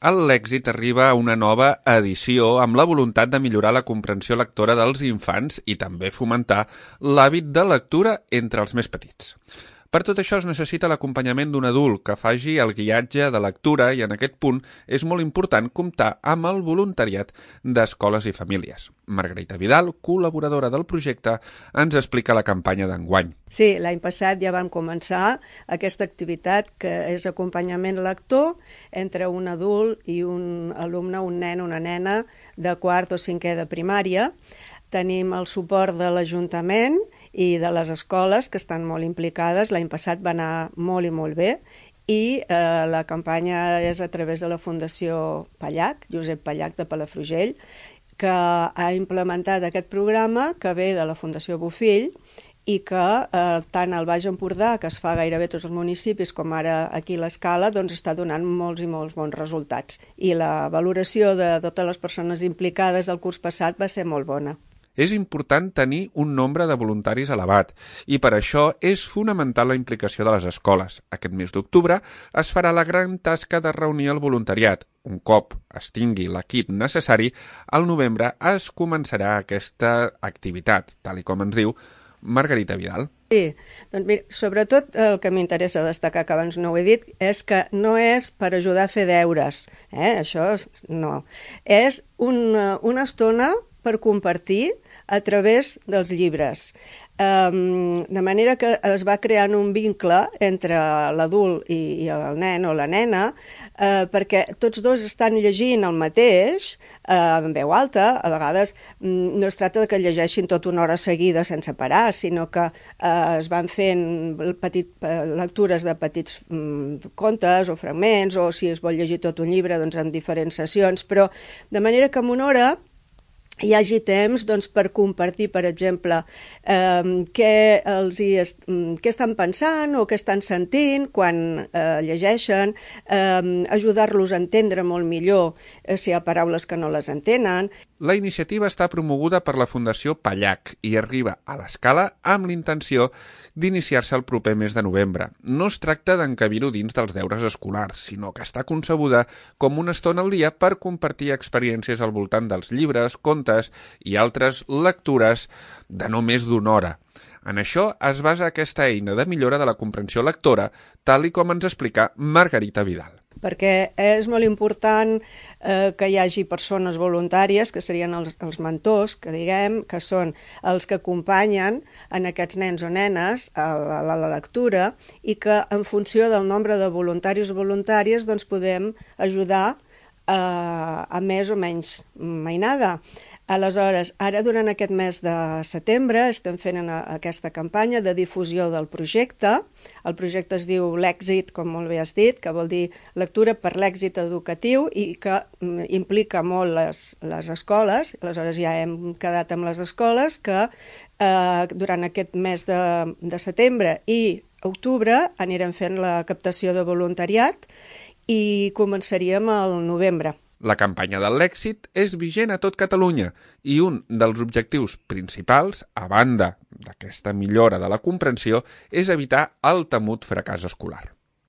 El Lèxit arriba a una nova edició amb la voluntat de millorar la comprensió lectora dels infants i també fomentar l'hàbit de lectura entre els més petits. Per tot això es necessita l'acompanyament d'un adult que faci el guiatge de lectura i en aquest punt és molt important comptar amb el voluntariat d'escoles i famílies. Margarita Vidal, col·laboradora del projecte, ens explica la campanya d'enguany. Sí, l'any passat ja vam començar aquesta activitat que és acompanyament lector entre un adult i un alumne, un nen o una nena de quart o cinquè de primària. Tenim el suport de l'Ajuntament i de les escoles que estan molt implicades. L'any passat va anar molt i molt bé i la campanya és a través de la Fundació Pallac, Josep Pallac de Palafrugell, que ha implementat aquest programa que ve de la Fundació Bofill i que tant al Baix Empordà, que es fa gairebé tots els municipis, com ara aquí a l'Escala, doncs està donant molts i molts bons resultats. I la valoració de totes les persones implicades del curs passat va ser molt bona. És important tenir un nombre de voluntaris elevat i per això és fonamental la implicació de les escoles. Aquest mes d'octubre es farà la gran tasca de reunir el voluntariat. Un cop es tingui l'equip necessari, al novembre es començarà aquesta activitat, tal com ens diu Margarita Vidal. Sí, doncs mira, sobretot el que m'interessa destacar, que abans no ho he dit, és que no és per ajudar a fer deures, això no. És una estona per compartir a través dels llibres. De manera que es va creant un vincle entre l'adult i el nen o la nena, perquè tots dos estan llegint el mateix, en veu alta. A vegades no es tracta que llegeixin tota una hora seguida sense parar, sinó que es van fent lectures de petits contes o fragments, o si es vol llegir tot un llibre, doncs en diferents sessions, però de manera que en una hora hi hagi temps per compartir, per exemple, què estan pensant o què estan sentint quan llegeixen, ajudar-los a entendre molt millor si hi ha paraules que no les entenen. La iniciativa està promoguda per la Fundació Pallac i arriba a l'Escala amb l'intenció d'iniciar-se el proper mes de novembre. No es tracta d'encabir-ho dins dels deures escolars, sinó que està concebuda com una estona al dia per compartir experiències al voltant dels llibres, contes i altres lectures de no més d'una hora. En això es basa aquesta eina de millora de la comprensió lectora, tal i com ens explica Margarita Vidal. Perquè és molt important que hi hagi persones voluntàries, que serien els mentors, que diguem, que són els que acompanyen en aquests nens o nenes a la lectura i que en funció del nombre de voluntaris o voluntàries doncs podem ajudar a més o menys mainada. Aleshores, ara durant aquest mes de setembre estem fent aquesta campanya de difusió del projecte. El projecte es diu Lèxit, com molt bé has dit, que vol dir lectura per l'èxit educatiu i que implica molt les escoles. Aleshores ja hem quedat amb les escoles que durant aquest mes de setembre i octubre anirem fent la captació de voluntariat i començaríem al novembre. La campanya del Lèxit és vigent a tot Catalunya i un dels objectius principals, a banda d'aquesta millora de la comprensió, és evitar el temut fracàs escolar.